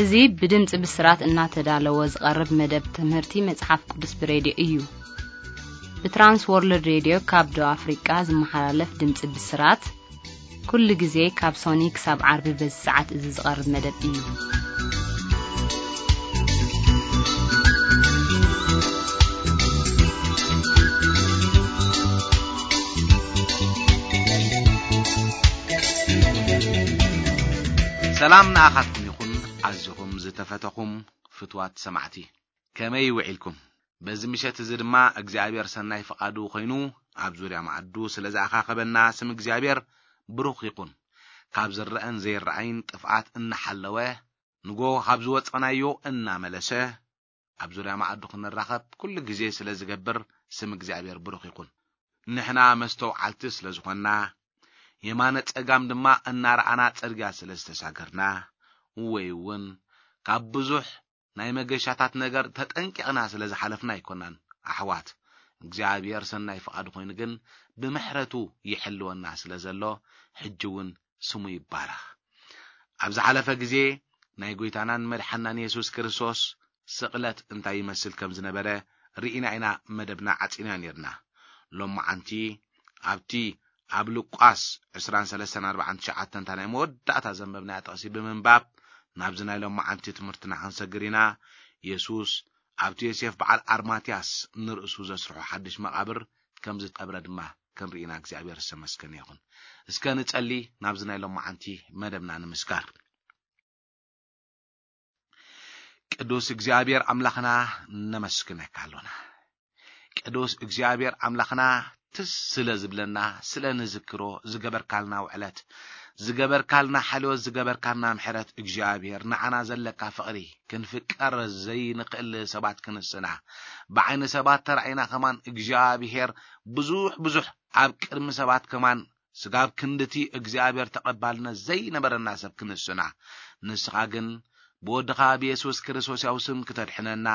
እዚ ብድምፂ ብስራት እናተዳለወ ዝቐርብ መደብ ትምህርቲ መፅሓፍ ቅዱስ ብሬድዮ እዩ። ብትራንስ ወርልድ ሬድዮ ካብ ደቡብ ኣፍሪቃ ዝመሓላለፍ ድምፂ ብስራት ኩሉ ግዜ ካብ ሶኒ ክሳብ ዓርቢ በዚ ሰዓት እዚ ዝቐርብ መደብ እዩ። ሰላም ንኣኻትኩም ይኹን፣ ኣዝኹም ዝተፈተኹም ፍትዋት ሰማዕቲ። ከመይ ውዒልኩም? በዚ ምሸት እዚ ድማ እግዚኣብሔር ሰናይ ፍቓዱ ኮይኑ ኣብ ዙርያ መኣዱ ስለ ዝኣኻኸበና ስም እግዚኣብሔር ብሩኽ ይኹን። ካብ ዝረአን ዘይረኣይን ጥፍኣት እናሓለወ፣ ንጎ ካብ ዝወጸናዮ እናመለሰ፣ ኣብ ዙርያ መኣዱ ክንራኸብ ኩሉ ግዜ ስለ ዝገብር ስም እግዚኣብሔር ብሩኽ ይኹን። ንሕና መስተውዓልቲ ስለ ዝኾንና፣ የማነ ጸጋም ድማ እናረኣና ጽርግያ ስለ ዝተሳገርና፣ ወይ እውን ካብ ብዙሕ ናይ መገሻታት ነገር ተጠንቂቕና ስለ ዝሓለፍና ኣይኮናን ኣሕዋት። እግዚኣብሔር ሰናይ ፍቓዱ ኮይኑ ግን ብምሕረቱ ይሕልወና ስለ ዘሎ፣ ሕጂ እውን ስሙ ይባረኽ። ኣብ ዝሓለፈ ግዜ ናይ ጐይታናን መድሓናን የሱስ ክርስቶስ ስቕለት እንታይ ይመስል ከም ዝነበረ ርኢና ኢና መደብና ዓጺና ነርና። ሎማዓንቲ ኣብቲ ኣብ ሉቃስ ዕስራን ሰለስተን ኣርባዓን ትሽዓተን እታ ናይ መወዳእታ ዘንበብናያ ጥቕሲ ብምንባብ ናብዚ ናይ ሎማዓንቲ ትምህርትና ክንሰግር ኢና። የሱስ ኣብቲ ዮሴፍ በዓል ኣርማትያስ ንርእሱ ዘስርሖ ሓድሽ መቓብር ከም ዝቀብረ ድማ ክንርኢ ኢና። እግዚኣብሔር ዝተመስገነ ይኹን። እስከ ንጸሊ፣ ናብዚ ናይ ሎማዓንቲ መደብና ንምስጋር። ቅዱስ እግዚኣብሔር ኣምላኽና ነመስግነካ ኣሎና። ቅዱስ እግዚኣብሔር ኣምላኽና ትስ ስለ ዝብለና፣ ስለ ንዝክሮ፣ ዝገበርካልና ውዕለት፣ ዝገበርካልና ሓልዮት፣ ዝገበርካልና ምሕረት፣ እግዚኣብሔር ንዓና ዘለካ ፍቕሪ ክንፍቀር ዘይንኽእል ሰባት ክንስና፣ ብዓይኒ ሰባት ተራኢና ከማን እግዚኣብሔር ብዙሕ ብዙሕ ኣብ ቅድሚ ሰባት ከማን ስጋብ ክንድቲ እግዚኣብሔር ተቐባልነት ዘይነበረና ሰብ ክንስና፣ ንስኻ ግን ብወድኻ ብየሱስ ክርስቶስ ያው ስም ክተድሕነና፣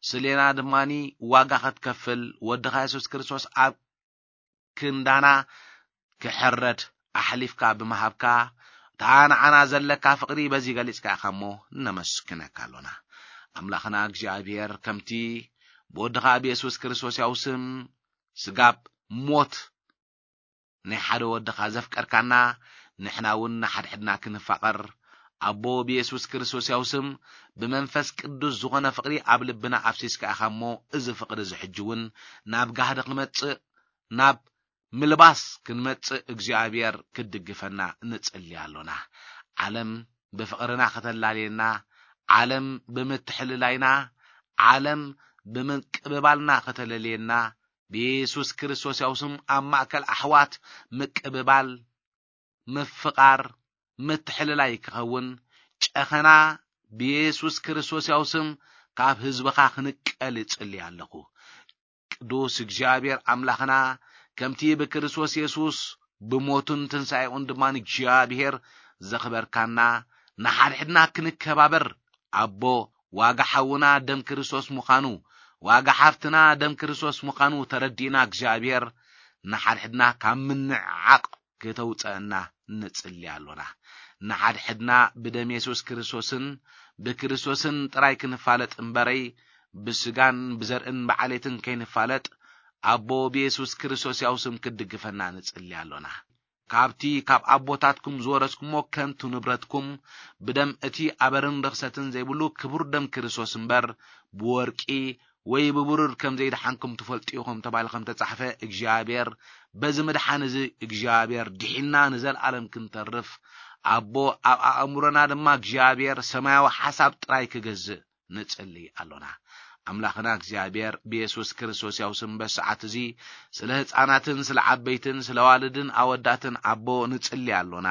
ስሌና ድማኒ ዋጋ ክትከፍል፣ ወድኻ የሱስ ክርስቶስ ኣብ ክንዳና ክሕረድ ኣሕሊፍካ ብምሃብካ፣ እታ ንዓና ዘለካ ፍቕሪ በዚ ገሊጽካ ኢኻ እሞ ነመስግነካ ኣሎና። ኣምላኽና እግዚኣብሔር፣ ከምቲ ብወድኻ ብየሱስ ክርስቶስ ያው ስም ስጋብ ሞት ናይ ሓደ ወድኻ ዘፍቀርካና፣ ንሕና እውን ንሓድሕድና ክንፋቐር፣ ኣቦ ብየሱስ ክርስቶስ ያው ስም ብመንፈስ ቅዱስ ዝኾነ ፍቕሪ ኣብ ልብና ኣፍሲስካ ኢኻ እሞ፣ እዚ ፍቕሪ እዚ ሕጂ እውን ናብ ጋህዲ ክመጽእ፣ ናብ ምልባስ ክንመጽእ እግዚኣብሔር ክድግፈና ንጽሊ ኣሎና። ዓለም ብፍቕርና ከተላልየና፣ ዓለም ብምትሕልላይና፣ ዓለም ብምቅብባልና ከተለልየና፣ ብየሱስ ክርስቶስ ያው ስም ኣብ ማእከል ኣሕዋት ምቅብባል፣ ምፍቓር፣ ምትሕልላይ ክኸውን፣ ጨኸና ብየሱስ ክርስቶስ ያው ስም ካብ ህዝብኻ ክንቀል እጽሊ ኣለኹ። ቅዱስ እግዚኣብሔር ኣምላኽና፣ ከምቲ ብክርስቶስ የሱስ ብሞቱን ትንሳኤኡን ድማ እግዚኣብሔር ዘኽበርካና፣ ንሓድሕድና ክንከባበር፣ ኣቦ፣ ዋጋ ሓውና ደም ክርስቶስ ምዃኑ፣ ዋጋ ሓፍትና ደም ክርስቶስ ምዃኑ ተረዲእና፣ እግዚኣብሔር ንሓድሕድና ካብ ምንዕዓቕ ከተውፀአና ንጽሊ ኣሎና። ንሓድሕድና ብደም የሱስ ክርስቶስን ብክርስቶስን ጥራይ ክንፋለጥ እምበረይ፣ ብስጋን ብዘርእን ብዓሌትን ከይንፋለጥ፣ ኣቦ ብየሱስ ክርስቶስ ያው ስም ክትድግፈና ንጽሊ ኣሎና። ካብቲ ካብ ኣቦታትኩም ዝወረስኩሞ ከንቱ ንብረትኩም፣ ብደም እቲ ኣበርን ርኽሰትን ዘይብሉ ክቡር ደም ክርስቶስ እምበር፣ ብወርቂ ወይ ብብሩር ከም ዘይደሓንኩም ትፈልጡ ኢኹም ተባሂሉ ከም ተጻሕፈ፣ እግዚኣብሔር በዚ ምድሓን እዚ እግዚኣብሔር ድሒንና ንዘለኣለም ክንተርፍ፣ ኣቦ ኣብ ኣእምሮና ድማ እግዚኣብሔር ሰማያዊ ሓሳብ ጥራይ ክገዝእ ንጽሊ ኣሎና። ኣምላኽና እግዚኣብሔር ብየሱስ ክርስቶስ ያው ስም በሰዓት እዚ ስለ ህፃናትን ስለ ዓበይትን ስለ ዋልድን ኣወዳትን ኣቦ ንጽሊ ኣሎና።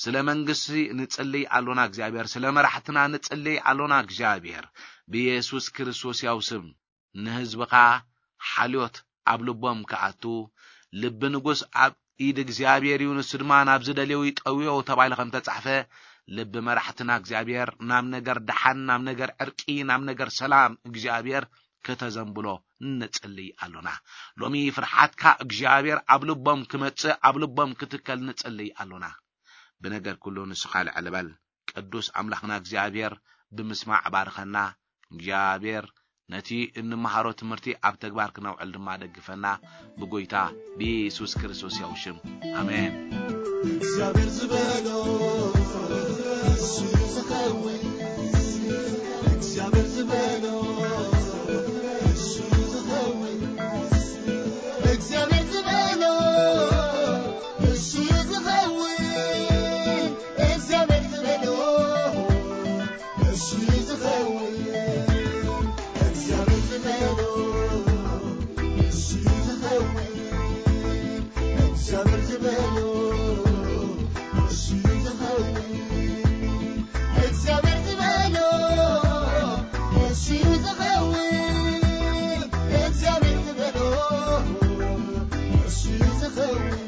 ስለ መንግስቲ ንጽሊ ኣሎና እግዚኣብሔር፣ ስለ መራሕትና ንጽሊ ኣሎና እግዚኣብሔር። ብየሱስ ክርስቶስ ያው ስም ንህዝብኻ ሓልዮት ኣብ ልቦም ክኣቱ፣ ልቢ ንጉስ ኣብ ኢድ እግዚኣብሔር እዩ፣ ንሱ ድማ ናብ ዝደልዮ ይጠውዮ ተባሂሉ ከም ተጻሕፈ፣ ልቢ መራሕትና እግዚኣብሔር ናብ ነገር ደሓን፣ ናብ ነገር ዕርቂ፣ ናብ ነገር ሰላም እግዚኣብሔር ከተዘንብሎ ንጽልይ ኣሎና። ሎሚ ፍርሓትካ እግዚኣብሔር ኣብ ልቦም ክመጽእ፣ ኣብ ልቦም ክትከል ንጽልይ ኣሎና። ብነገር ኩሉ ንስኻ ልዕል በል። ቅዱስ ኣምላኽና እግዚኣብሔር ብምስማዕ ባርኸና። እግዚኣብሔር ነቲ እንመሃሮ ትምህርቲ ኣብ ተግባር ክነውዕል ድማ ደግፈና። ብጎይታ ብኢየሱስ ክርስቶስ ያው ሽም፣ ኣሜን። እግዚኣብሔር ዝበሎ እሱ እዩ ዝኸውን። እግዚኣብሔር ዝበሎ እሱ እዩ ዝኸውን። እግዚኣብሔር ዝበሎ እሱ እዩ ዝኸውን። እግዚኣብሔር ዝበሎ እሱ እዩ ዝኸውን። እግዚኣብሔር ዝበሎ እሱ እዩ ዝኸውን። እግዚኣብሔር ዝበሎ እሱ እዩ ዝኸውን። እግዚኣብሔር ዝበሎ እሱ እዩ ዝኸውን። እግዚኣብሔር ዝበሎ እሱ እዩ ዝኸውን።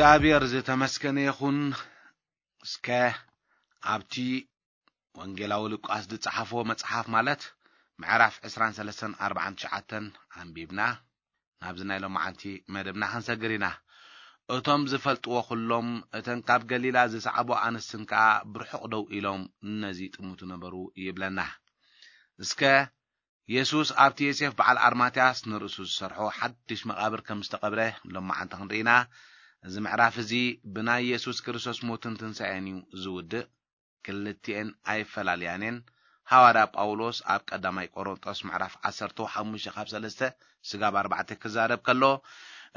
እግዚኣብሔር ዝተመስገነ ይኹን። እስከ ኣብቲ ወንጌላዊ ሉቃስ ዝጸሓፎ መጽሓፍ፣ ማለት ምዕራፍ ዕስራን ሰለስተን ኣርባዓን ትሽዓተን ኣንቢብና ናብዚ ናይ ሎማዓንቲ መደብና ክንሰግር ኢና። እቶም ዝፈልጥዎ ኩሎም፣ እተን ካብ ገሊላ ዝሰዓቦ ኣንስትን ከኣ ብርሑቕ ደው ኢሎም ነዚ ጥምቱ ነበሩ ይብለና። እስከ የሱስ ኣብቲ ዮሴፍ በዓል ኣርማትያስ ንርእሱ ዝሰርሖ ሓድሽ መቓብር ከም ዝተቐብረ ሎማዓንቲ ክንርኢ ኢና። እዚ ምዕራፍ እዚ ብናይ የሱስ ክርስቶስ ሞትን ትንሳኤን እዩ ዝውድእ። ክልቲኤን ኣይፈላልያን እየን። ሃዋርያ ጳውሎስ ኣብ ቀዳማይ ቆሮንጦስ ምዕራፍ ዓሰርተ ሓሙሽተ ካብ ሰለስተ ስጋብ ኣርባዕተ ክዛረብ ከሎ፣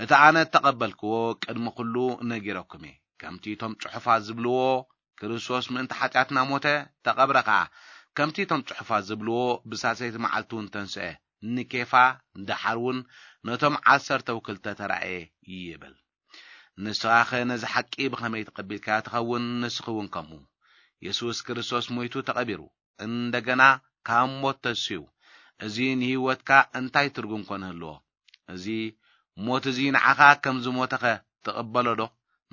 እቲ ኣነ እተቐበልክዎ ቅድሚ ኩሉ ነጊረኩም እየ። ከምቲ እቶም ጽሑፋት ዝብልዎ፣ ክርስቶስ ምእንቲ ሓጢኣትና ሞተ፣ ተቐብረ ኸኣ። ከምቲ እቶም ጽሑፋት ዝብልዎ፣ ብሳልሰይቲ መዓልቲ እውን ተንስአ፣ ንኬፋ፣ ደሓር እውን ነቶም ዓሰርተ ወክልተ ተራእየ ይብል። ንስኻኸ ነዚ ሓቂ ብኸመይ ተቐቢልካዮ ትኸውን? ንስኺ እውን ከምኡ። የሱስ ክርስቶስ ሞይቱ ተቐቢሩ፣ እንደገና ካብ ሞት ተንሲኡ። እዚ ንህይወትካ እንታይ ትርጉም ኮን ህልዎ? እዚ ሞት እዚ ንዓኻ ከም ዝሞተኸ ትቕበሎ ዶ?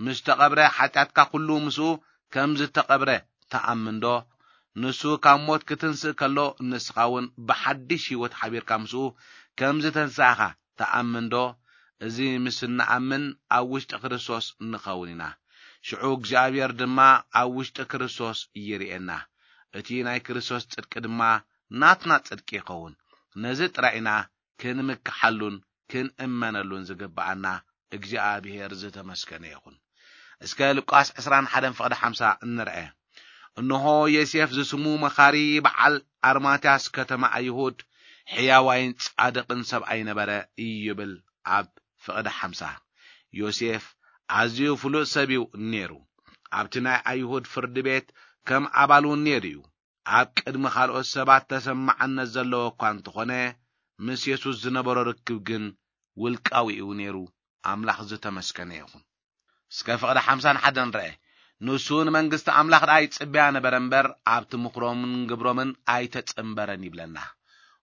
ምስ ተቐብረ ሓጢኣትካ ኩሉ ምስኡ ከም ዝተቐብረ ትኣምን ዶ? ንሱ ካብ ሞት ክትንስእ ከሎ ንስኻ እውን ብሓድሽ ህይወት ሓቢርካ ምስኡ ከም ዝተንሳእኻ ትኣምን ዶ? እዚ ምስ እንኣምን ኣብ ውሽጢ ክርስቶስ ንኸውን ኢና። ሽዑ እግዚኣብሔር ድማ ኣብ ውሽጢ ክርስቶስ ይርእየና። እቲ ናይ ክርስቶስ ጽድቂ ድማ ናትና ጽድቂ ይኸውን። ነዚ ጥራይ ኢና ክንምክሓሉን ክንእመነሉን ዝግብኣና። እግዚኣብሔር ዝተመስገነ ይኹን። እስከ ሉቃስ ዕስራን ሓደን ፍቕዲ ሓምሳ እንርአ። እንሆ ዮሴፍ ዝስሙ መኻሪ በዓል ኣርማትያስ ከተማ ኣይሁድ ሕያዋይን ጻድቕን ሰብኣይ ነበረ ይብል ኣብ ፍቕዲ ሓምሳ። ዮሴፍ ኣዝዩ ፍሉጥ ሰብ እዩ ነይሩ። ኣብቲ ናይ ኣይሁድ ፍርዲ ቤት ከም ኣባል እውን ነይሩ እዩ። ኣብ ቅድሚ ካልኦት ሰባት ተሰማዕነት ዘለዎ እኳ እንተኾነ፣ ምስ የሱስ ዝነበሮ ርክብ ግን ውልቃዊ እዩ ነይሩ። ኣምላኽ ዝተመስገነ ይኹን። እስከ ፍቕዲ ሓምሳን ሓደን ንርአ። ንሱ ንመንግስቲ ኣምላኽ ደኣ ይጽበያ ነበረ እምበር፣ ኣብቲ ምኽሮምን ግብሮምን ኣይተጸንበረን ይብለና።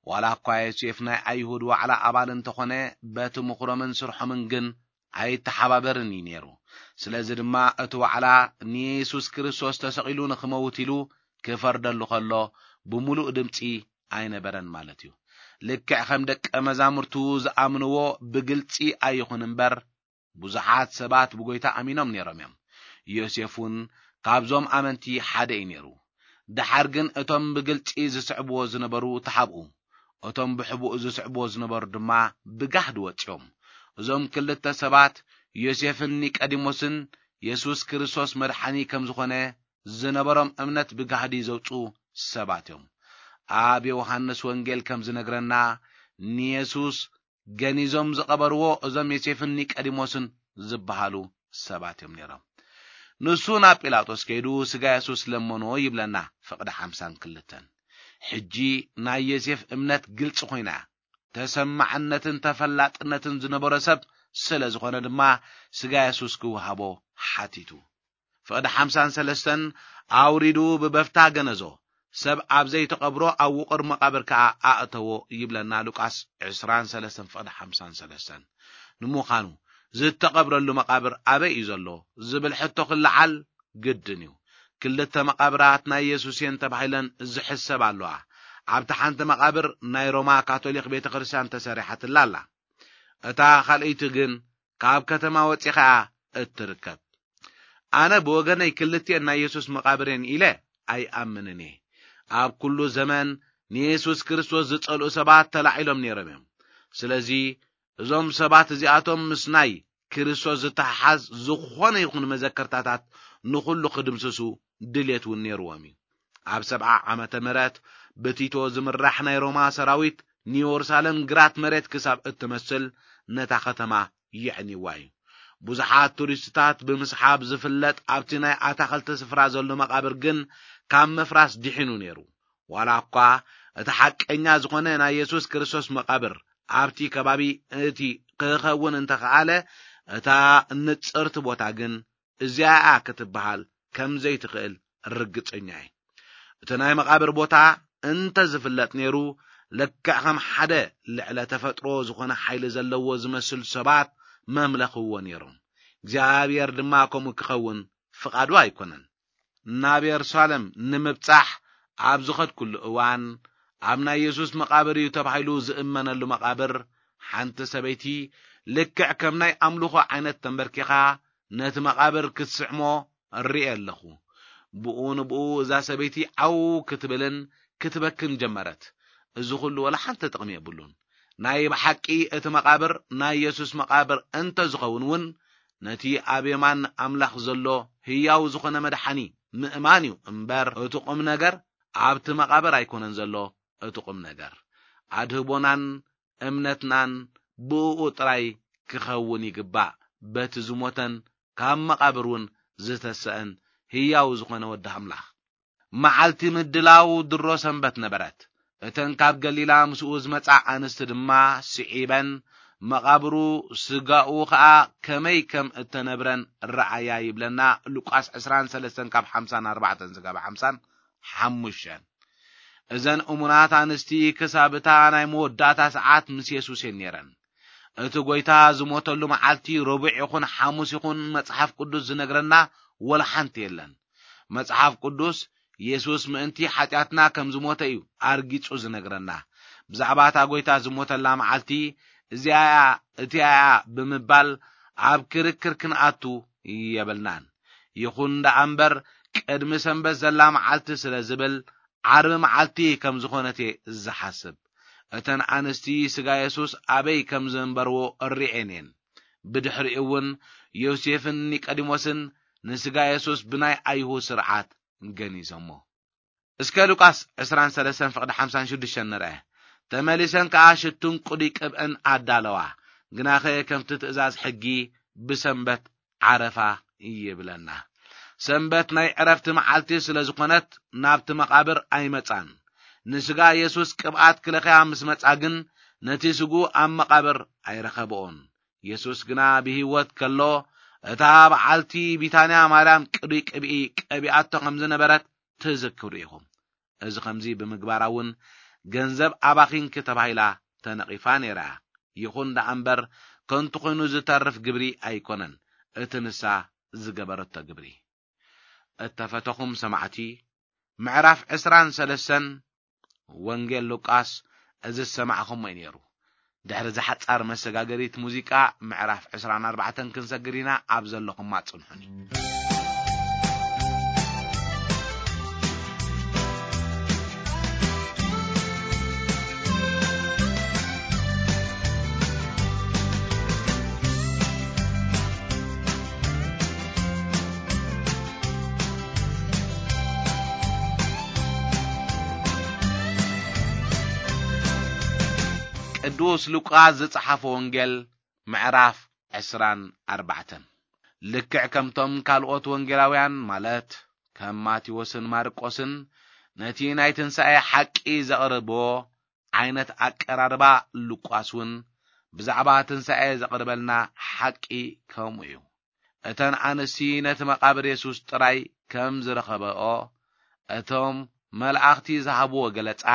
ዋላ እኳ ዮሴፍ ናይ ኣይሁድ ዋዕላ ኣባል እንተኾነ፣ በቲ ምኽሮምን ስርሖምን ግን ኣይተሓባበርን እዩ ነይሩ። ስለዚ ድማ እቲ ዋዕላ ንየሱስ ክርስቶስ ተሰቒሉ ንኽመውት ኢሉ ክፈርደሉ ከሎ፣ ብምሉእ ድምጺ ኣይነበረን ማለት እዩ። ልክዕ ከም ደቀ መዛሙርቱ ዝኣምንዎ ብግልጺ ኣይኹን እምበር፣ ብዙሓት ሰባት ብጎይታ ኣሚኖም ነይሮም እዮም። ዮሴፍ እውን ካብዞም ኣመንቲ ሓደ እዩ ነይሩ። ደሓር ግን እቶም ብግልጺ ዝስዕብዎ ዝነበሩ ተሓብኡ፣ እቶም ብሕቡእ ዝስዕብዎ ዝነበሩ ድማ ብጋህዲ ወጺኦም። እዞም ክልተ ሰባት፣ ዮሴፍን ኒቀዲሞስን፣ የሱስ ክርስቶስ መድሓኒ ከም ዝኾነ ዝነበሮም እምነት ብጋህዲ ዘውጽኡ ሰባት እዮም። ኣብ ዮሃንስ ወንጌል ከም ዝነግረና፣ ንየሱስ ገኒዞም ዝቐበርዎ እዞም ዮሴፍን ኒቀዲሞስን ዝበሃሉ ሰባት እዮም ነይሮም። ንሱ ናብ ጲላጦስ ከይዱ ስጋ የሱስ ለመኖ ይብለና ፍቕዲ ሓምሳን ክልተን። ሕጂ ናይ ዮሴፍ እምነት ግልጺ ኮይና እያ። ተሰማዕነትን ተፈላጥነትን ዝነበሮ ሰብ ስለ ዝኾነ ድማ ስጋ የሱስ ክወሃቦ ሓቲቱ። ፍቕዲ ሓምሳን ሰለስተን ኣውሪዱ ብበፍታ ገነዞ፣ ሰብ ኣብ ዘይተቐብሮ ኣብ ውቑር መቓብር ከኣ ኣእተዎ ይብለና ሉቃስ ዕስራን ሰለስተን ፍቕዲ ሓምሳን ሰለስተን። ንምዃኑ ዝተቐብረሉ መቓብር ኣበይ እዩ ዘሎ ዝብል ሕቶ ክለዓል ግድን እዩ። ክልተ መቓብራት ናይ የሱስ እየን ተባሂለን ዝሕሰብ ኣለዋ። ኣብታ ሓንቲ መቓብር ናይ ሮማ ካቶሊክ ቤተ ክርስቲያን ተሰሪሓትላ ኣላ። እታ ካልኣይቲ ግን ካብ ከተማ ወጺኻ እያ እትርከብ። ኣነ ብወገነይ ክልቲኤን ናይ የሱስ መቓብር እየን ኢለ ኣይኣምንን እየ። ኣብ ኩሉ ዘመን ንየሱስ ክርስቶስ ዝጸልኡ ሰባት ተላዒሎም ነይሮም እዮም። ስለዚ እዞም ሰባት እዚኣቶም ምስ ናይ ክርስቶስ ዝተሓሓዝ ዝኾነ ይኹን መዘከርታታት ንኹሉ ክድምስሱ ድልየት እውን ነይርዎም እዩ። ኣብ ሰብዓ ዓመተ ምህረት ብቲቶ ዝምራሕ ናይ ሮማ ሰራዊት ንየሩሳሌም ግራት መሬት ክሳብ እትመስል ነታ ከተማ የዕንይዋ እዩ። ብዙሓት ቱሪስትታት ብምስሓብ ዝፍለጥ ኣብቲ ናይ ኣታኽልቲ ስፍራ ዘሎ መቓብር ግን ካብ ምፍራስ ድሒኑ ነይሩ። ዋላ እኳ እቲ ሓቀኛ ዝኾነ ናይ የሱስ ክርስቶስ መቓብር ኣብቲ ከባቢ እቲ ክኸውን እንተኸኣለ፣ እታ ንጽርቲ ቦታ ግን እዚኣ እያ ክትበሃል ከም ዘይትኽእል ርግጸኛ እየ። እቲ ናይ መቓብር ቦታ እንተ ዝፍለጥ ነይሩ፣ ልክዕ ከም ሓደ ልዕለ ተፈጥሮ ዝኾነ ሓይሊ ዘለዎ ዝመስል ሰባት መምለኽዎ ነይሮም። እግዚኣብሔር ድማ ከምኡ ክኸውን ፍቓዱ ኣይኮነን። ናብ የሩሳሌም ንምብጻሕ ኣብ ዝኸድኩሉ እዋን፣ ኣብ ናይ የሱስ መቓብር እዩ ተባሂሉ ዝእመነሉ መቓብር፣ ሓንቲ ሰበይቲ ልክዕ ከም ናይ ኣምልኾ ዓይነት ተንበርኪኻ ነቲ መቓብር ክትስዕሞ እርኢ ኣለኹ። ብኡ ንብኡ እዛ ሰበይቲ ዓው ክትብልን ክትበክን ጀመረት። እዚ ኹሉ ወላ ሓንቲ ጥቕሚ የብሉን። ናይ ብሓቂ እቲ መቓብር ናይ የሱስ መቓብር እንተ ዝኸውን እውን፣ ነቲ ኣብ የማን ኣምላኽ ዘሎ ህያው ዝኾነ መድሓኒ ምእማን እዩ እምበር፣ እቲ ቁም ነገር ኣብቲ መቓብር ኣይኮነን ዘሎ። እቲ ቁም ነገር ኣድህቦናን እምነትናን ብእኡ ጥራይ ክኸውን ይግባእ፣ በቲ ዝሞተን ካብ መቓብር እውን ዝተሰአን ህያው ዝኾነ ወዲ ኣምላኽ። መዓልቲ ምድላው ድሮ ሰንበት ነበረት። እተን ካብ ገሊላ ምስኡ ዝመጻ ኣንስቲ ድማ ስዒበን፣ መቓብሩ ስጋኡ ኸኣ ከመይ ከም እተነብረን ረኣያ ይብለና ሉቃስ ዕስራን ሰለስተን ካብ ሓምሳን ኣርባዕተን ዝጋብ ሓምሳን ሓሙሽተን። እዘን እሙናት ኣንስቲ ክሳብ እታ ናይ መወዳእታ ሰዓት ምስ የሱስ እየን ነይረን። እቲ ጐይታ ዝሞተሉ መዓልቲ ረቡዕ ይኹን ሓሙስ ይኹን መጽሓፍ ቅዱስ ዝነግረና ወላ ሓንቲ የለን። መጽሓፍ ቅዱስ የሱስ ምእንቲ ሓጢኣትና ከም ዝሞተ እዩ ኣርጊጹ ዝነግረና። ብዛዕባ እታ ጐይታ ዝሞተላ መዓልቲ እዚኣ እያ፣ እቲኣ እያ ብምባል ኣብ ክርክር ክንኣቱ የብልናን። ይኹን ደኣ እምበር ቅድሚ ሰንበት ዘላ መዓልቲ ስለ ዝብል ዓርቢ መዓልቲ ከም ዝኾነት እየ ዝሓስብ። እተን ኣንስቲ ስጋ የሱስ ኣበይ ከም ዘንበርዎ እሪኤን እየን። ብድሕሪኡ እውን ዮሴፍን ኒቆዲሞስን ንስጋ የሱስ ብናይ ኣይሁድ ስርዓት ገኒዞሞ። እስከ ሉቃስ ዕስራን ሰለስተን ፍቕዲ ሓምሳን ሽዱሽተን ንርአ። ተመሊሰን ከኣ ሽቱን ቅዱይ ቅብእን ኣዳለዋ። ግናኸ ከምቲ ትእዛዝ ሕጊ ብሰንበት ዓረፋ ይብለና። ሰንበት ናይ ዕረፍቲ መዓልቲ ስለ ዝኾነት ናብቲ መቓብር ኣይመጻን። ንስጋ የሱስ ቅብኣት ክለኽያ ምስ መጻ ግን ነቲ ስግኡ ኣብ መቓብር ኣይረኸብኦን። የሱስ ግና ብህይወት ከሎ እታ በዓልቲ ቢታንያ ማርያም ቅዱይ ቅብኢ ቀቢኣቶ ከም ዝነበረት ትዝክሩ ኢኹም። እዚ ከምዚ ብምግባራ እውን ገንዘብ ኣባኺንኪ ተባሂላ ተነቒፋ ነይራ። ይኹን ደኣ እምበር ከንቱ ኮይኑ ዝተርፍ ግብሪ ኣይኮነን እቲ ንሳ ዝገበረቶ ግብሪ። እተፈተኹም ሰማዕቲ፣ ምዕራፍ ዕስራን ሰለስተን ወንጌል ሉቃስ እዚ ዝሰማዕኹሞ እዩ ነይሩ። ድሕሪ እዛ ሓጻር መሰጋገሪት ሙዚቃ ምዕራፍ ዕስራን ኣርባዕተን ክንሰግር ኢና። ኣብ ዘለኹማ ጽንሑኒ። ቅዱስ ሉቃስ ዝጸሓፎ ወንጌል ምዕራፍ ዕስራን ኣርባዕተን። ልክዕ ከምቶም ካልኦት ወንጌላውያን፣ ማለት ከም ማቴዎስን ማርቆስን፣ ነቲ ናይ ትንሳኤ ሓቂ ዘቕርብዎ ዓይነት ኣቀራርባ፣ ሉቃስ እውን ብዛዕባ ትንሳኤ ዘቕርበልና ሓቂ ከምኡ እዩ። እተን ኣንስቲ ነቲ መቓብር የሱስ ጥራይ ከም ዝረኸበኦ፣ እቶም መላእኽቲ ዝሃብዎ ገለጻ፣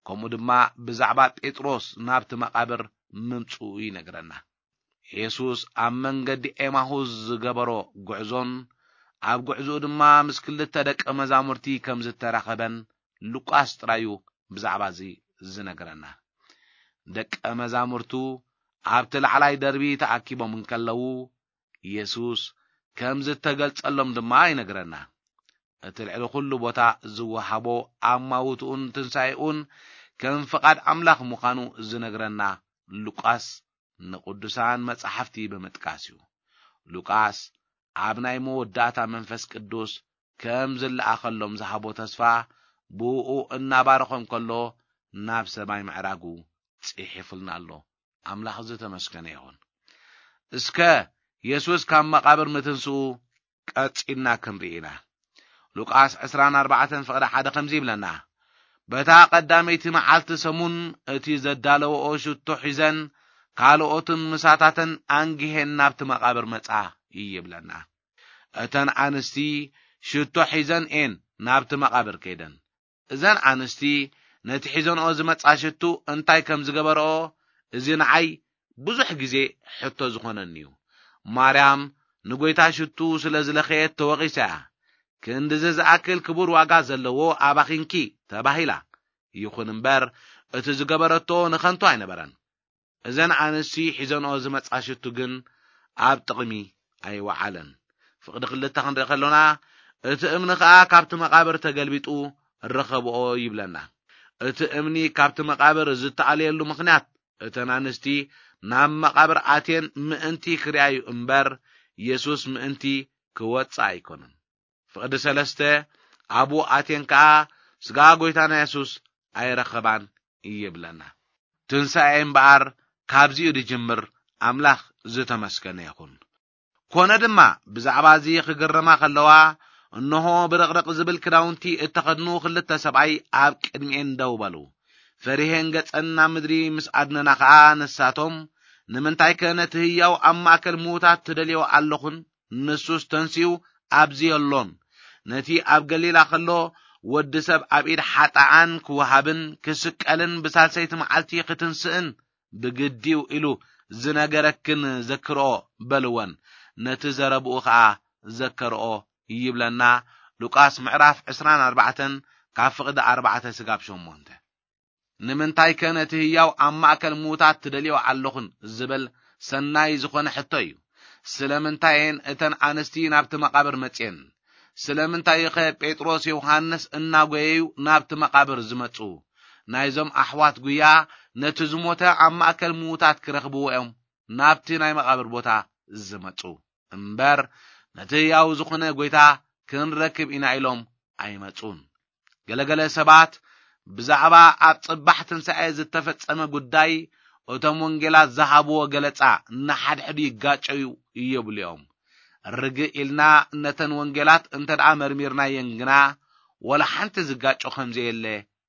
ከምኡ ድማ ብዛዕባ ጴጥሮስ ናብቲ መቓብር ምምጽኡ ይነግረና። የሱስ ኣብ መንገዲ ኤማሁስ ዝገበሮ ጉዕዞን ኣብ ጉዕዞኡ ድማ ምስ ክልተ ደቀ መዛሙርቲ ከም ዝተራኸበን ሉቃስ ጥራዩ ብዛዕባ እዚ ዝነግረና። ደቀ መዛሙርቱ ኣብቲ ላዕላይ ደርቢ ተኣኪቦም እንከለዉ፣ የሱስ ከም ዝተገልጸሎም ድማ ይነግረና። እቲ ልዕሊ ኩሉ ቦታ ዝወሃቦ ኣማውትኡን ትንሳኤኡን ከም ፍቓድ ኣምላኽ ምዃኑ ዝነግረና ሉቃስ ንቅዱሳን መጻሕፍቲ ብምጥቃስ እዩ። ሉቃስ ኣብ ናይ መወዳእታ መንፈስ ቅዱስ ከም ዝለኣኸሎም ዝሃቦ ተስፋ ብኡ እናባረኾም ከሎ ናብ ሰማይ ምዕራጉ ጽሒፉልና ኣሎ። ኣምላኽ ዝተመስገነ ይኹን። እስከ የሱስ ካብ መቓብር ምትንስኡ ቀጺልና ክንርኢ ኢና። ሉቃስ ዕስራን ኣርባዕተን ፍቕዲ ሓደ ከምዚ ይብለና፣ በታ ቀዳመይቲ መዓልቲ ሰሙን እቲ ዘዳለወኦ ሽቶ ሒዘን ካልኦትን ምሳታተን ኣንጊሄን ናብቲ መቓብር መጻ ይብለና። እተን ኣንስቲ ሽቶ ሒዘን እየን ናብቲ መቓብር ከይደን። እዘን ኣንስቲ ነቲ ሒዘንኦ ዝመጻ ሽቱ እንታይ ከም ዝገበረኦ፣ እዚ ንዓይ ብዙሕ ግዜ ሕቶ ዝኾነኒ እዩ። ማርያም ንጎይታ ሽቱ ስለ ዝለኸየት ተወቒሳ እያ። ክንድዚ ዝኣክል ክቡር ዋጋ ዘለዎ ኣባኺንኪ ተባሂላ። ይኹን እምበር፣ እቲ ዝገበረቶ ንኸንቱ ኣይነበረን። እዘን ኣንስቲ ሒዘንኦ ዝመጻ ሽቱ ግን ኣብ ጥቕሚ ኣይወዓለን። ፍቕዲ ክልተ ክንርኢ ከሎና፣ እቲ እምኒ ኸኣ ካብቲ መቓብር ተገልቢጡ ረኸብኦ ይብለና። እቲ እምኒ ካብቲ መቓብር ዝተኣለየሉ ምኽንያት፣ እተን ኣንስቲ ናብ መቓብር ኣትየን ምእንቲ ክርእያዩ እምበር፣ የሱስ ምእንቲ ክወጽእ ኣይኮነን። ፍቕዲ ሰለስተ፣ ኣብኡ ኣትየን ከኣ ስጋ ጎይታና የሱስ ኣይረኸባን ይብለና። ትንሳኤ እምበኣር ካብዚኡ ዝጅምር ኣምላኽ ዝተመስገነ ይኹን። ኮነ ድማ ብዛዕባ እዚ ክግረማ ከለዋ፣ እንሆ ብርቕርቕ ዝብል ክዳውንቲ እተኸድኑ ክልተ ሰብኣይ ኣብ ቅድሚኤን ደው በሉ። ፈሪሄን ገጸን ናብ ምድሪ ምስ ኣድነና ኸኣ ንሳቶም፣ ንምንታይከ ነቲ ህያው ኣብ ማእከል ምዉታት ትደልዮ ኣለኹን? ንሱስ ተንሲኡ ኣብዚ የሎን። ነቲ ኣብ ገሊላ ከሎ ወዲ ሰብ ኣብ ኢድ ሓጣኣን ክወሃብን ክስቀልን ብሳልሰይቲ መዓልቲ ክትንስእን ብግዲው ኢሉ ዝነገረክን ዘክርኦ በልወን። ነቲ ዘረብኡ ኸኣ ዘከርኦ ይብለና ሉቃስ ምዕራፍ ዕስራን ኣርባዕተን ካብ ፍቕዲ ኣርባዕተ ስጋብ ሸሞንተ። ንምንታይከ ነቲ ህያው ኣብ ማእከል ምዉታት ትደልዮ ኣለኹን ዝብል ሰናይ ዝኾነ ሕቶ እዩ። ስለምንታይ እየን እተን ኣንስቲ ናብቲ መቓብር መጽየን? ስለምንታይ ኸ ጴጥሮስ ዮሃንስ እናጎየዩ ናብቲ መቓብር ዝመጹ? ናይዞም ኣሕዋት ጉያ ነቲ ዝሞተ ኣብ ማእከል ምዉታት ክረኽብዎ እዮም ናብቲ ናይ መቓብር ቦታ ዝመጹ። እምበር ነቲ ህያው ዝኾነ ጎይታ ክንረክብ ኢና ኢሎም ኣይመጹን። ገለገለ ሰባት ብዛዕባ ኣብ ጽባሕ ትንሳኤ ዝተፈጸመ ጉዳይ እቶም ወንጌላት ዝሃብዎ ገለጻ ንሓድሕዱ ይጋጨዩ ይብሉ እዮም። ርግእ ኢልና ነተን ወንጌላት እንተ ደኣ መርሚርናየን ግና፣ ወላ ሓንቲ ዝጋጮ ከም ዘየለ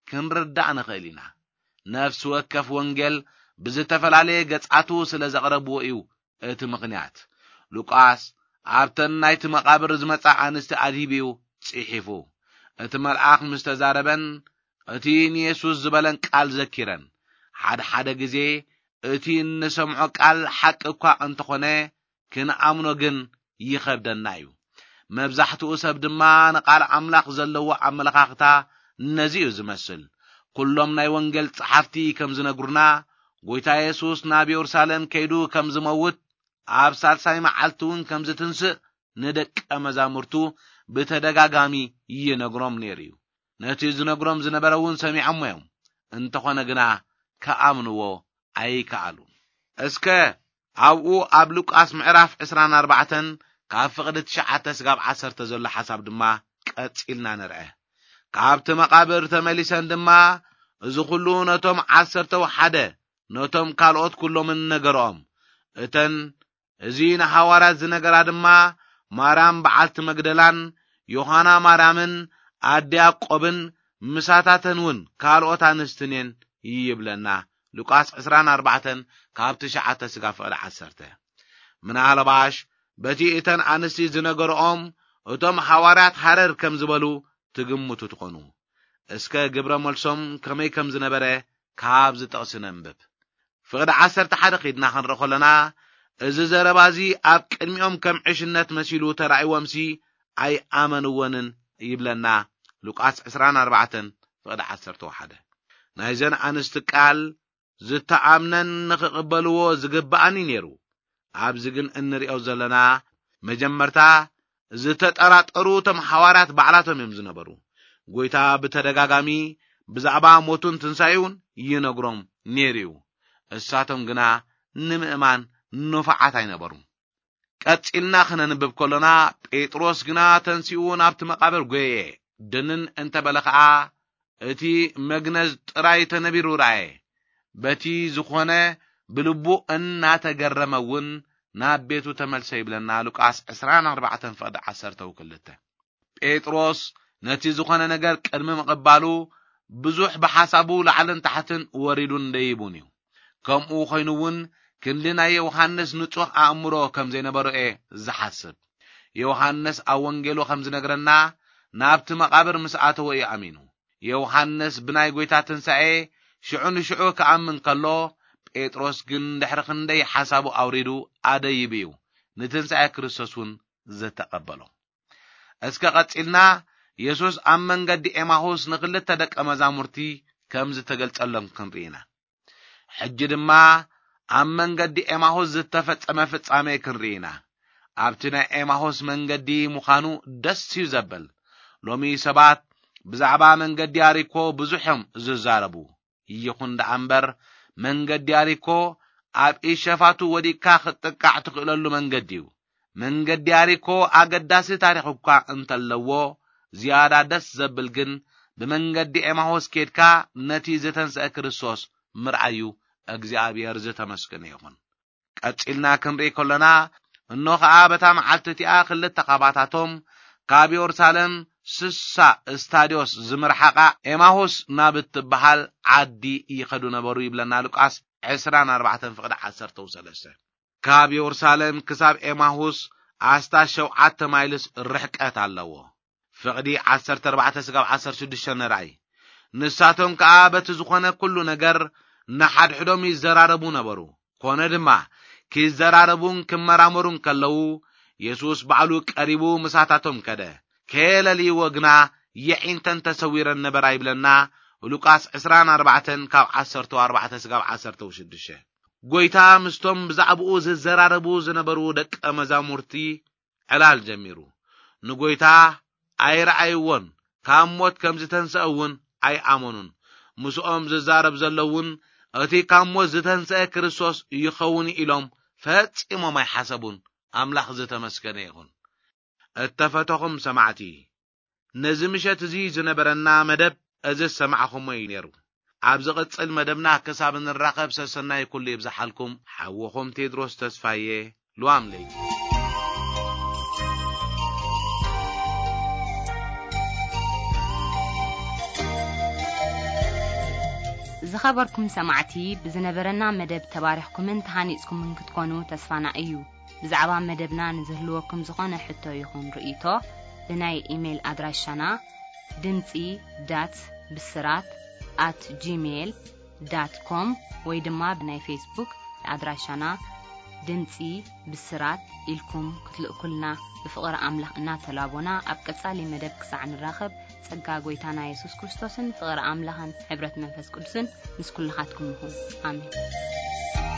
ክንርዳእ ንኽእል ኢና። ነፍሲ ወከፍ ወንጌል ብዝተፈላለየ ገጻቱ ስለ ዘቕረብዎ እዩ እቲ ምኽንያት። ሉቃስ ኣብተን ናይቲ መቓብር ዝመጻ ኣንስቲ ኣድሂቡ እዩ ጽሒፉ። እቲ መልኣኽ ምስ ተዛረበን፣ እቲ ንየሱስ ዝበለን ቃል ዘኪረን። ሓደ ሓደ ግዜ እቲ እንሰምዖ ቃል ሓቂ እኳ እንተኾነ፣ ክንኣምኖ ግን ይኸብደና እዩ። መብዛሕትኡ ሰብ ድማ ንቓል ኣምላኽ ዘለዎ ኣመለኻኽታ ነዚ እዩ ዝመስል። ኩሎም ናይ ወንጌል ጸሓፍቲ ከም ዝነግሩና፣ ጎይታ የሱስ ናብ የሩሳሌም ከይዱ ከም ዝመውት፣ ኣብ ሳልሳይ መዓልቲ እውን ከም ዝትንስእ ንደቀ መዛሙርቱ ብተደጋጋሚ ይነግሮም ነይሩ እዩ። ነቲ ዝነግሮም ዝነበረ እውን ሰሚዖሞ እዮም። እንተኾነ ግና ክኣምንዎ ኣይከኣሉን። እስከ ኣብኡ ኣብ ሉቃስ ምዕራፍ ዕስራን ኣርባዕተን ካብ ፍቕዲ ትሽዓተ ስጋብ ዓሰርተ ዘሎ ሓሳብ ድማ ቀጺልና ንርአ። ካብቲ መቓብር ተመሊሰን ድማ እዚ ኹሉ ነቶም ዓሰርተው ሓደ ነቶም ካልኦት ኩሎምን ነገርኦም። እተን እዚ ንሃዋርያት ዝነገራ ድማ ማርያም በዓልቲ መግደላን ዮሃና ማርያምን ኣደ ያዕቆብን ምሳታተን እውን ካልኦት ኣንስትን እየን ይብለና። ሉቃስ ዕስራን ኣርባዕተን ካብ ትሽዓተ ስጋ ፍቕዲ ዓሰርተ። ምናልባሽ በቲ እተን ኣንስቲ ዝነገርኦም እቶም ሃዋርያት ሃረር ከም ዝበሉ ትግምቱ ትኾኑ። እስከ ግብረ መልሶም ከመይ ከም ዝነበረ ካብዚ ጥቕሲ ነንብብ። ፍቕዲ ዓሰርተ ሓደ ኺድና ክንርኢ ከለና፣ እዚ ዘረባ እዚ ኣብ ቅድሚኦም ከም ዕሽነት መሲሉ ተራእይዎምሲ ኣይኣመንዎንን ይብለና ሉቃስ ዕስራን ኣርባዕተን ፍቕዲ ዓሰርተ ሓደ። ናይዘን ኣንስቲ ቃል ዝተኣምነን ንኽቕበልዎ ዝግብኣን እዩ ነይሩ። ኣብዚ ግን እንሪኦ ዘለና መጀመርታ ዝተጠራጠሩ እቶም ሃዋርያት ባዕላቶም እዮም ዝነበሩ። ጎይታ ብተደጋጋሚ ብዛዕባ ሞቱን ትንሳኤውን ይነግሮም ነይሩ እዩ። እሳቶም ግና ንምእማን ንፉዓት ኣይነበሩን። ቀጺልና ክነንብብ ከሎና፣ ጴጥሮስ ግና ተንሲኡ ናብቲ መቓብር ጐየየ። ድንን እንተ በለ ኸኣ፣ እቲ መግነዝ ጥራይ ተነቢሩ ረኣየ። በቲ ዝኾነ ብልቡ እናተገረመ እውን ናብ ቤቱ ተመልሰ ይብለና ሉቃስ ዕስራን ኣርባዕተን ፍቕዲ ዓሰርተ ክልተ። ጴጥሮስ ነቲ ዝኾነ ነገር ቅድሚ ምቕባሉ ብዙሕ ብሓሳቡ ላዕልን ታሕትን ወሪዱን ደይቡን እዩ። ከምኡ ኮይኑ እውን ክንዲ ናይ ዮሃንስ ንጹህ ኣእምሮ ከም ዘይነበሮ እየ ዝሓስብ። ዮሃንስ ኣብ ወንጌሉ ከም ዝነግረና ናብቲ መቓብር ምስ ኣተወ እዩ ኣሚኑ። ዮሃንስ ብናይ ጐይታ ትንሳኤ ሽዑ ንሽዑ ክኣምን ከሎ፣ ጴጥሮስ ግን ድሕሪ ክንደይ ሓሳቡ ኣውሪዱ ኣደይቡ እዩ ንትንሳኤ ክርስቶስ እውን ዝተቐበሎ። እስከ ቀጺልና የሱስ ኣብ መንገዲ ኤማሁስ ንክልተ ደቀ መዛሙርቲ ከም ዝተገልጸሎም ክንርኢ ኢና። ሕጂ ድማ ኣብ መንገዲ ኤማሁስ ዝተፈጸመ ፍጻሜ ክንርኢ ኢና። ኣብቲ ናይ ኤማሁስ መንገዲ ምዃኑ ደስ እዩ ዘብል። ሎሚ ሰባት ብዛዕባ መንገዲ ኣሪኮ ብዙሕ እዮም ዝዛረቡ። ይኹን ደኣ እምበር መንገዲ ኣሪኮ ኣብ ኢድ ሸፋቱ ወዲቕካ ክትጥቃዕ ትኽእለሉ መንገዲ እዩ። መንገዲ ኣሪኮ ኣገዳሲ ታሪኽ እኳ እንተለዎ፣ ዝያዳ ደስ ዘብል ግን ብመንገዲ ኤማሆስ ኬድካ ነቲ ዝተንስአ ክርስቶስ ምርኣዩ እግዚኣብሔር ዝተመስገነ ይኹን። ቀጺልና ክንርኢ ከሎና፣ እኖ ኸኣ በታ መዓልቲ እቲኣ ክልተ ኻባታቶም ካብ የሩሳሌም ስሳ እስታድዮስ ዝምርሓቓ ኤማሆስ ናብ እትበሃል ዓዲ ይኸዱ ነበሩ ይብለና ሉቃስ ዕስራን ኣርባዕተን ፍቕዲ ዓሰርተ ሰለስተ። ካብ የሩሳሌም ክሳብ ኤማሁስ ኣስታት ሸውዓተ ማይልስ ርሕቀት ኣለዎ። ፍቕዲ ዓሰርተ ኣርባዕተ ስጋብ ዓሰርተ ሽዱሽተ ንርኣይ። ንሳቶም ከኣ በቲ ዝኾነ ኩሉ ነገር ንሓድሕዶም ይዘራረቡ ነበሩ። ኮነ ድማ፣ ክዘራረቡን ክመራመሩን ከለዉ፣ የሱስ ባዕሉ ቀሪቡ ምሳታቶም ከደ። ከየለልይዎ ግና የዒንተን ተሰዊረን ነበራ ይብለና ሉቃስ ዕስራን ኣርባዕተን ካብ ዓሰርተ ኣርባዕተ ስጋብ ዓሰርተ ሽዱሽተ። ጐይታ ምስቶም ብዛዕባኡ ዝዘራረቡ ዝነበሩ ደቀ መዛሙርቲ ዕላል ጀሚሩ። ንጐይታ ኣይረኣይዎን፣ ካብ ሞት ከም ዝተንስአ እውን ኣይኣመኑን። ምስኦም ዝዛረብ ዘሎ እውን እቲ ካብ ሞት ዝተንስአ ክርስቶስ ይኸውን ኢሎም ፈጺሞም ኣይሓሰቡን። ኣምላኽ ዝተመስገነ ይኹን። እተፈተኹም ሰማዕቲ፣ ነዚ ምሸት እዚ ዝነበረና መደብ እዚ ዝሰማዕኹሞ እዩ ነይሩ። ኣብ ዝቕጽል መደብና ክሳብ እንራኸብ ሰሰናይ ኩሉ ይብዝሓልኩም። ሓወኹም ቴድሮስ ተስፋዬ፣ ልዋም ለይቲ። ዝኸበርኩም ሰማዕቲ፣ ብዝነበረና መደብ ተባሪኽኩምን ተሃኒጽኩምን ክትኮኑ ተስፋና እዩ። ብዛዕባ መደብና ንዝህልወኩም ዝኾነ ሕቶ ይኹን ርእይቶ፣ ብናይ ኢሜይል ኣድራሻና ድምጺ ዳት ብስራት ኣት ጂሜይል ዳት ኮም ወይ ድማ ብናይ ፌስቡክ ኣድራሻና ድምጺ ብስራት ኢልኩም ክትልእኩልና ብፍቕሪ ኣምላኽ እናተላቦና፣ ኣብ ቀጻሊ መደብ ክሳዕ ንራኸብ፣ ጸጋ ጐይታና የሱስ ክርስቶስን ፍቕሪ ኣምላኽን ሕብረት መንፈስ ቅዱስን ምስ ኩልኻትኩም ይኹን። ኣሜን።